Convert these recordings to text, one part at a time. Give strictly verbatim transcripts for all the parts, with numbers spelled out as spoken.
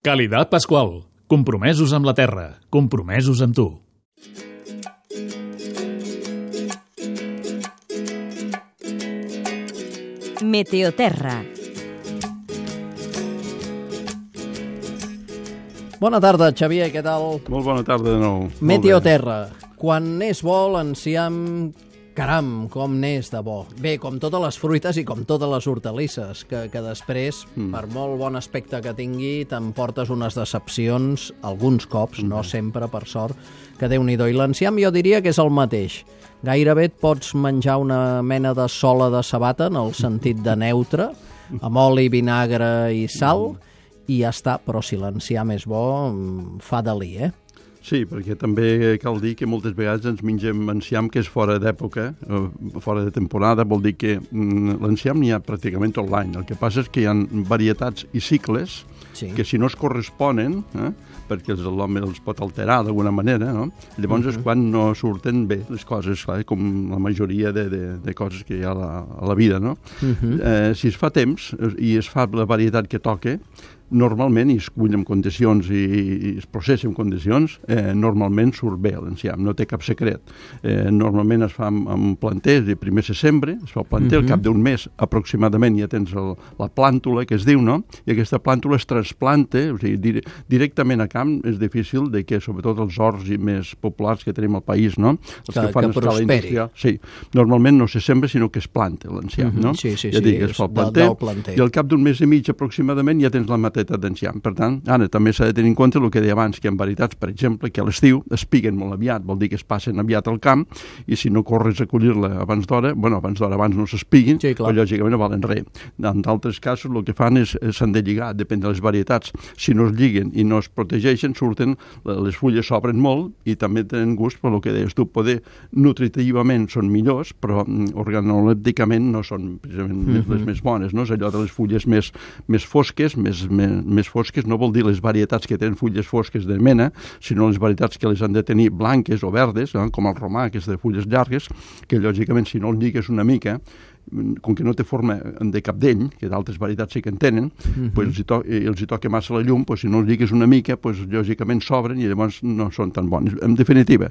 Calidad Pascual. Compromesos amb la terra. Compromesos amb tu. Meteoterra. Bona tarda, Xavier, què tal? Molt bona tarda de nou. Meteoterra. Quan n'és bo, l'enciam... Caram, com n'és de bo. Bé, com totes les fruites i com totes les hortalisses, que, que després, mm. per molt bon aspecte que tingui, t'emportes unes decepcions, alguns cops, mm. no sempre, per sort, que Déu-n'hi-do. I l'enciam jo diria que és el mateix. Gairebé et pots menjar una mena de sola de sabata, en el sentit de neutre, amb oli, vinagre i sal, i ja està. Però si l'enciam és bo, fa delí, eh? Sí, perquè també cal dir que moltes vegades ens mengem enciam que és fora d'època, fora de temporada, vol dir que l'enciam n'hi ha pràcticament tot l'any. El que passa és que hi ha varietats i cicles sí. que si no es corresponen, eh, perquè l'home els pot alterar d'alguna manera, no? Llavors uh -huh. és quan no surten bé les coses, clar, com la majoria de, de, de coses que hi ha a la, a la vida, no? Uh -huh. eh, si es fa temps i es fa la varietat que toca, normalment, i es cull en condicions i, i es processa en condicions, eh, normalment surt bé l'enciam, no té cap secret. Eh, normalment es fa amb, amb planters i primer se sembra, es fa el planter, uh -huh. al cap d'un mes aproximadament ja tens el, la plàntula, que es diu, no? I aquesta plàntula es trasplanta, o sigui, dir, directament a camp és difícil de que, sobretot els horts i més populars que tenim al país, no? Els que, que fan que prosperi. Sí, normalment no se sembra, sinó que es planta l'enciam, uh -huh. no? Sí, sí, ja sí, dic, es fa el planter, del planter. I al cap d'un mes i mig aproximadament ja tens la mateixa d'enciam. Per tant, ara també s'ha de tenir en compte el que deia abans, que en varietats, per exemple, que a l'estiu es piguen molt aviat, vol dir que es passen aviat al camp, i si no corres a collir-la abans d'hora, bueno, abans d'hora abans no s'espiguin, sí, però lògicament no valen res. En d'altres casos el que fan és s'han de lligar, depèn de les varietats. Si no es lliguen i no es protegeixen, surten, les fulles s'obren molt i també tenen gust, per el que deies tu, poder nutritivament són millors, però organolèpticament no són precisament mm -hmm. les més bones, no? És allò de les fulles més, més fosques, més, més, més fosques, no vol dir les varietats que tenen fulles fosques de mena, sinó les varietats que les han de tenir blanques o verdes, eh, com el romà, que és de fulles llargues, que lògicament si no el lligues una mica, com que no té forma de capdell, que d'altres varietats sí que en tenen, uh-huh. pues els, hi to els hi toca massa la llum, pues si no els lligues una mica, pues lògicament s'obren i llavors no són tan bons. En definitiva,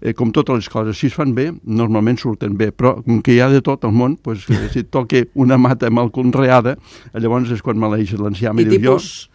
eh, com totes les coses, si es fan bé, normalment surten bé, però com que hi ha de tot al món, pues, si et toca una mata mal conreada, llavors és quan maleeixes l'enciam i, i dius tipus... jo...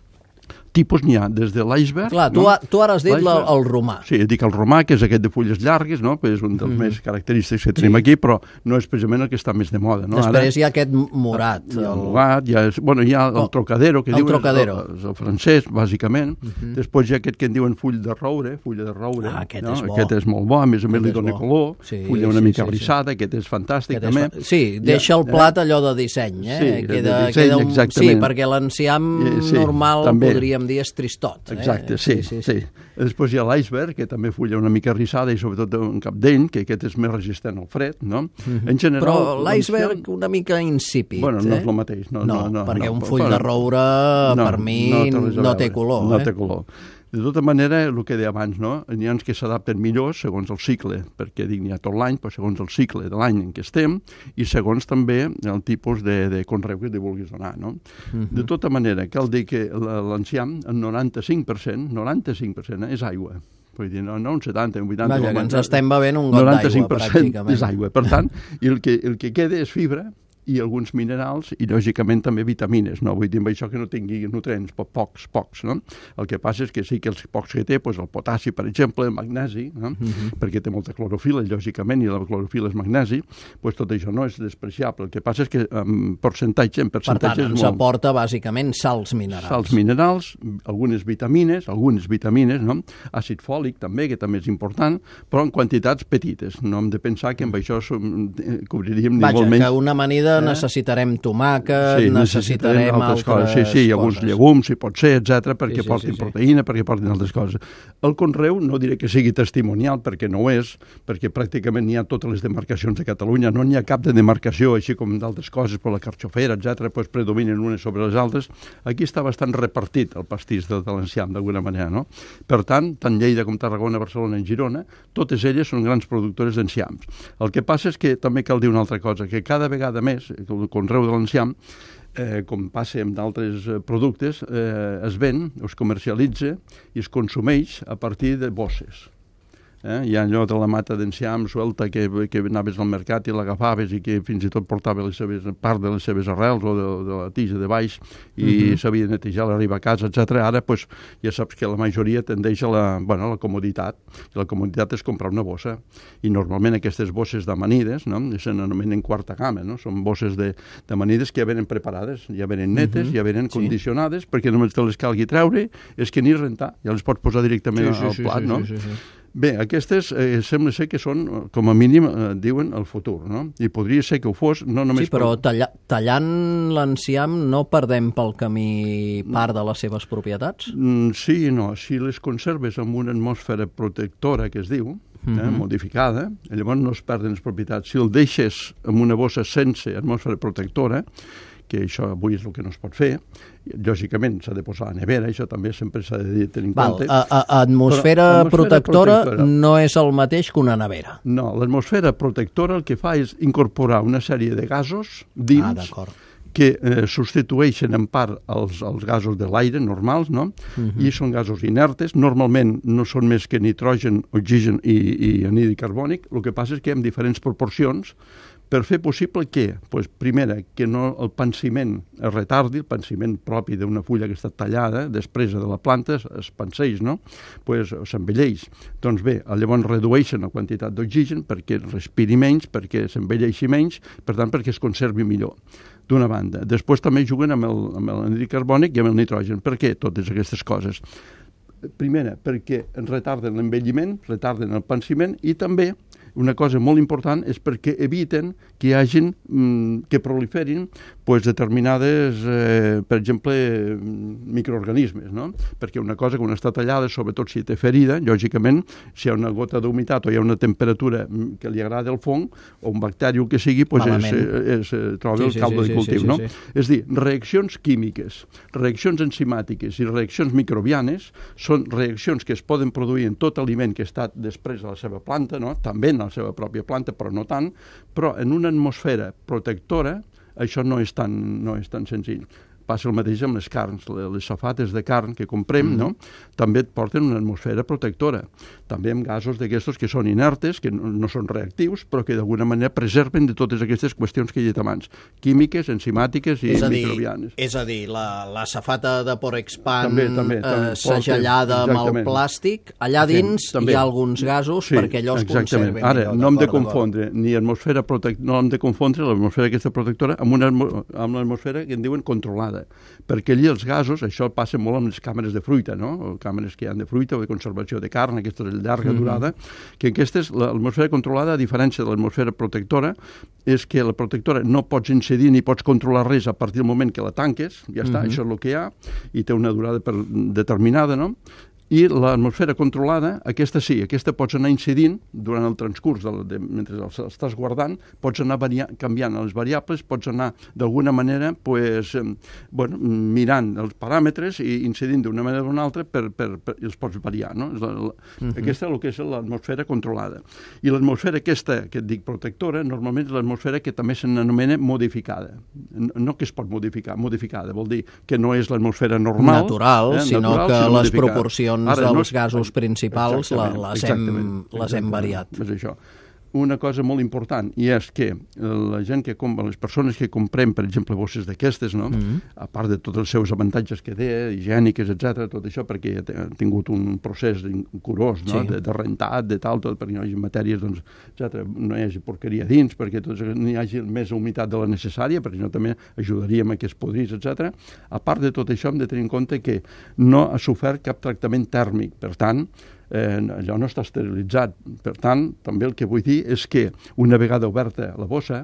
tipus n'hi ha, des de l'iceberg... Clar, tu, no? tu ara has dit la, el romà. Sí, dic el romà, que és aquest de fulles llargues, no? Que és un dels mm. més característics que tenim sí. aquí, però no és precisament el que està més de moda. No? Després ara, hi ha aquest morat. Hi ha el morat, hi ha, bueno, hi ha el oh, trocadero, que el diuen trocadero. El, el francès, bàsicament. Mm -hmm. Després hi ha aquest que en diuen full de roure, fulla de roure. Ah, aquest no? és bo. Aquest és molt bo, a més a més li dona color, sí, fulla una sí, mica sí, rissada, sí. aquest és fantàstic aquest també. És fa... Sí, deixa el plat allò de disseny, eh? Sí, queda, de disseny, queda un... exactament. Sí, perquè l'enciam sí, normal, també. podríem dir, és tristot. Exacte, eh? sí, sí, sí. Després hi ha l'iceberg, que també fulla una mica rissada i sobretot un capdell, que aquest és més resistent al fred, no? Mm-hmm. En general... Però l'iceberg una mica insípid, bueno, no eh? és el mateix. No, no, no, no perquè no, un full no, de roure, no, per mi, no, no té color. No eh? té color. De tota manera, el que deia abans, no? N'hi ha que s'adapten millor segons el cicle, perquè dic, n'hi ha tot l'any, però segons el cicle de l'any en què estem i segons també el tipus de, de conreu que li vulguis donar, no? Uh-huh. De tota manera, cal dir que l'enciam, el noranta-cinc per cent, noranta-cinc per cent és aigua. Vull dir, no, no un setanta, un vuitanta... Vaja, que ens estem bevent un got d'aigua, pràcticament. És aigua. Per tant, i el que, el que queda és fibra, i alguns minerals i, lògicament, també vitamines, no? Vull dir, amb això que no tingui nutrients, però pocs, pocs, no? El que passa és que sí que els pocs que té, doncs el potassi, per exemple, el magnesi, no? Uh-huh. perquè té molta clorofila, lògicament, i la clorofila és magnesi, doncs tot això no és despreciable. El que passa és que en percentatge, en percentatge per tant, ens és molt... aporta, bàsicament, sals minerals. Sals minerals, algunes vitamines, algunes vitamines, no? Àcid fòlic, també, que també és important, però en quantitats petites. No hem de pensar que amb això som, cobriríem ni Vaja, molt menys... que una amanida necessitarem tomàquet, sí, necessitarem altres coses. Sí, sí, i alguns llegums, si pot ser, etcètera, perquè sí, sí, portin sí, sí. proteïna, perquè portin altres coses. El conreu no diré que sigui testimonial, perquè no ho és, perquè pràcticament n'hi ha totes les demarcacions de Catalunya, no n'hi ha cap de demarcació, així com d'altres coses, per la carxofera, etcètera, doncs predominen unes sobre les altres. Aquí està bastant repartit el pastís de l'enciam, d'alguna manera, no? Per tant, tant Lleida com Tarragona, Barcelona i Girona, totes elles són grans productores d'enciams. El que passa és que també cal dir una altra cosa, que cada vegada més el conreu de l'enciam eh, com passa amb d'altres productes, eh, es ven, es comercialitza i es consumeix a partir de bosses. Eh? Hi ha allò de la mata d'enciam suelta que, que anaves al mercat i l'agafaves i que fins i tot portava les seves, part de les seves arrels o de, de la tija de baix i uh-huh. s'havia de netejar a l'arribar a casa, etcètera. Ara pues, ja saps que la majoria tendeix a la, bueno, a la comoditat. I la comoditat és comprar una bossa. I normalment aquestes bosses d'amanides, no? Se n'anomenen quarta gamma, no? Són bosses d'amanides que ja venen preparades, ja venen netes, uh-huh. ja venen sí. condicionades, perquè només te les calgui treure, és que ni rentar, ja les pots posar directament sí, sí, al sí, plat, sí, no? Sí, sí, sí. Bé, aquestes eh, sembla ser que són, com a mínim, eh, diuen el futur, no? I podria ser que ho fos, no només... Sí, però per... talla, tallant l'enciam no perdem pel camí part de les seves propietats? Mm, sí i no. Si les conserves amb una atmosfera protectora, que es diu, eh, uh-huh. modificada, llavors no es perden les propietats. Si el deixes amb una bossa sense atmosfera protectora, que això avui és el que no es pot fer, lògicament s'ha de posar a la nevera, això també sempre s'ha de tenir en Val, compte. A, a, atmosfera, Però, atmosfera protectora, protectora no és el mateix que una nevera. No, l'atmosfera protectora el que fa és incorporar una sèrie de gasos dins ah, que eh, substitueixen en part els, els gasos de l'aire normals, no? Uh-huh. I són gasos inertes, normalment no són més que nitrogen, oxigen i, i anhídrid carbònic, el que passa és que en diferents proporcions per fer possible que, pues, primera, que no el pansiment es retardi, el pansiment propi d'una fulla que està tallada, després de la planta es, es panseix, no? Pues s'envelleix. Doncs bé, llavors redueixen la quantitat d'oxigen perquè respiri menys, perquè s'envelleixi menys, per tant, perquè es conservi millor. D'una banda. Després també juguen amb el, amb l'anhídrid carbònic i amb el nitrogen. Per què totes aquestes coses? Primera, perquè retarden l'envelliment, retarden el pansiment i també una cosa molt important és perquè eviten que hi hagin, mm, que proliferin pues, determinades, eh, per exemple, microorganismes, no? Perquè una cosa, quan està tallada, sobretot si té ferida, lògicament, si hi ha una gota d'humitat o hi ha una temperatura que li agrada el fong, o un bacteri o el que sigui, pues és, és, és, troba sí, el caldo sí, sí, de cultiu, sí, sí, no? Sí, sí. És dir, reaccions químiques, reaccions enzimàtiques i reaccions microbianes són reaccions que es poden produir en tot aliment que ha estat després de la seva planta, no? També en la seva pròpia planta, però no tant, però en una atmosfera protectora això no és tan, no és tan senzill. Passa el mateix amb les carns, les safates de carn que comprem, mm. no? També et porten una atmosfera protectora. També amb gasos d'aquestos que són inertes, que no, no són reactius, però que d'alguna manera preserven de totes aquestes qüestions que he dit abans, químiques, enzimàtiques i és a dir, microbianes. És a dir, la, la safata de Porexpan també, també, també, eh, segellada amb el plàstic, allà dins sí, hi ha alguns gasos sí, perquè allò es exactament. conservi. Ara, no hem de confondre ni atmosfera protect... no hem de confondre l'atmosfera aquesta protectora amb una amb l'atmosfera que en diuen controlada, perquè allí els gasos, això passa molt amb les càmeres de fruita, no? O càmeres que hi ha de fruita o de conservació de carn, aquestes de llarga durada, mm-hmm. que aquestes, l'atmosfera controlada, a diferència de l'atmosfera protectora, és que la protectora no pots incidir ni pots controlar res a partir del moment que la tanques, ja està, mm-hmm. això és el que hi ha, i té una durada per, determinada, no? I l'atmosfera controlada, aquesta sí, aquesta pots anar incidint durant el transcurs, de, de, mentre estàs guardant, pots anar varia, canviant les variables, pots anar d'alguna manera pues, eh, bueno, mirant els paràmetres i incidint d'una manera o d'una altra per, per, per, i els pots variar. No? La, la, uh-huh. Aquesta és el que és l'atmosfera controlada. I l'atmosfera aquesta, que et dic protectora, normalment és l'atmosfera que també se n'anomena modificada. No que es pot modificar, modificada vol dir que no és l'atmosfera normal. Natural, eh, sinó natural, que sinó les modificada. Proporcions Ara, dels no, gasos principals la, les, hem, les hem variat. És això. Una cosa molt important, i és que la gent que compra, les persones que comprem, per exemple, bosses d'aquestes, no? Mm-hmm. A part de tots els seus avantatges que té, higièniques, etcètera, tot això, perquè ha tingut un procés curós, no? Sí. de, de rentat, de tal, tot, perquè no hi hagi matèries, doncs, etcètera, no hi hagi porqueria dins, perquè tot, no hi hagi més humitat de la necessària, perquè no també ajudaríem a que es podrís, etcètera. A part de tot això, hem de tenir en compte que no ha sofert cap tractament tèrmic, per tant, Eh, allò no està esterilitzat. Per tant, també el que vull dir és que una vegada oberta la bossa,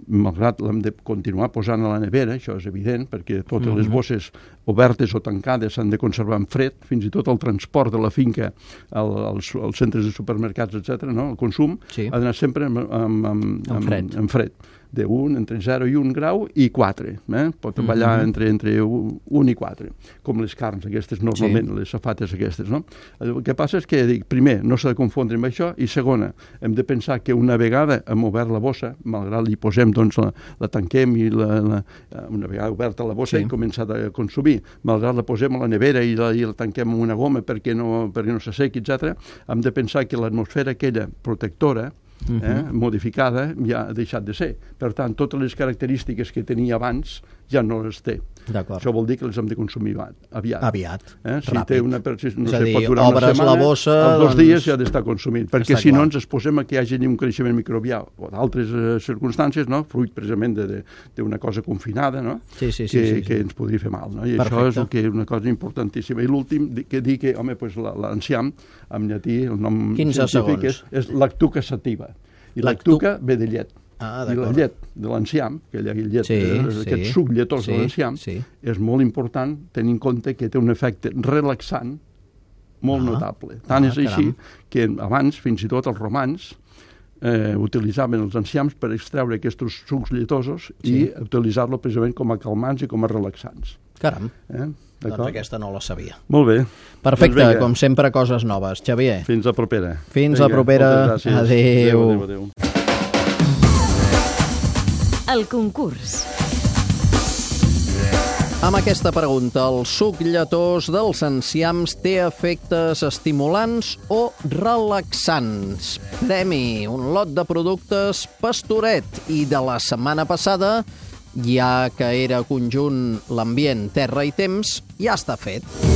malgrat l'hem de continuar posant a la nevera, això és evident, perquè totes mm-hmm. les bosses obertes o tancades s'han de conservar en fred, fins i tot el transport de la finca al, als, als centres de supermercats, etcètera, no? El consum sí. ha d'anar sempre amb, amb, amb, en, fred. amb, amb fred. d'un, entre zero i un grau, i quatre. Eh? Pot ballar mm-hmm. entre, entre un i quatre, com les carns aquestes, normalment, sí. les safates aquestes. No? El que passa és que, dic, primer, no s'ha de confondre amb això, i segona, hem de pensar que una vegada hem obert la bossa, malgrat li posem, doncs, la, la tanquem i la, la, una vegada oberta la bossa sí. i començat a consumir, malgrat la posem a la nevera i la, i la tanquem amb una goma perquè no, perquè no s'assequi, etcètera, hem de pensar que l'atmosfera aquella protectora eh, uh-huh. modificada ja ha deixat de ser. Per tant, totes les característiques que tenia abans ja no les té. Això vol dir que les hem de consumir aviat. Aviat, eh? Si ràpid. té una, si no és a sé, dir, pot durar una setmana, la bossa, els dos doncs... dies ja ha d'estar consumit, perquè Està si clar. no ens exposem a que hi hagi un creixement microbià o d'altres eh, circumstàncies, no? Fruit precisament d'una cosa confinada, no? sí, sí, sí, que, sí, sí. que ens podria fer mal. No? I Perfecte. això és el que, una cosa importantíssima. I l'últim, que dir que, home, pues, l'enciam, en llatí, el nom científic és, és lactuca sativa. I lactuca ve de llet. Ah, I la llet de l'enciam, aquella llet, sí, eh, sí. aquest suc lletós sí, de l'enciam, sí. és molt important tenir en compte que té un efecte relaxant molt ah, notable. Tant ah, és així caram. que abans, fins i tot els romans, eh, utilitzaven els enciams per extreure aquests sucs lletosos sí. i utilitzar-lo precisament com a calmants i com a relaxants. Caram. Eh? Doncs aquesta no la sabia. Molt bé. Perfecte, doncs com sempre, coses noves. Xavier. Fins la propera. Fins vinga, la propera. Adéu. Adéu. Adéu, adéu. El concurs. Amb aquesta pregunta, el suc lletós dels enciams té efectes estimulants o relaxants? Premi, un lot de productes Pastoret. I de la setmana passada, ja que era conjunt l'ambient, terra i temps, ja està fet.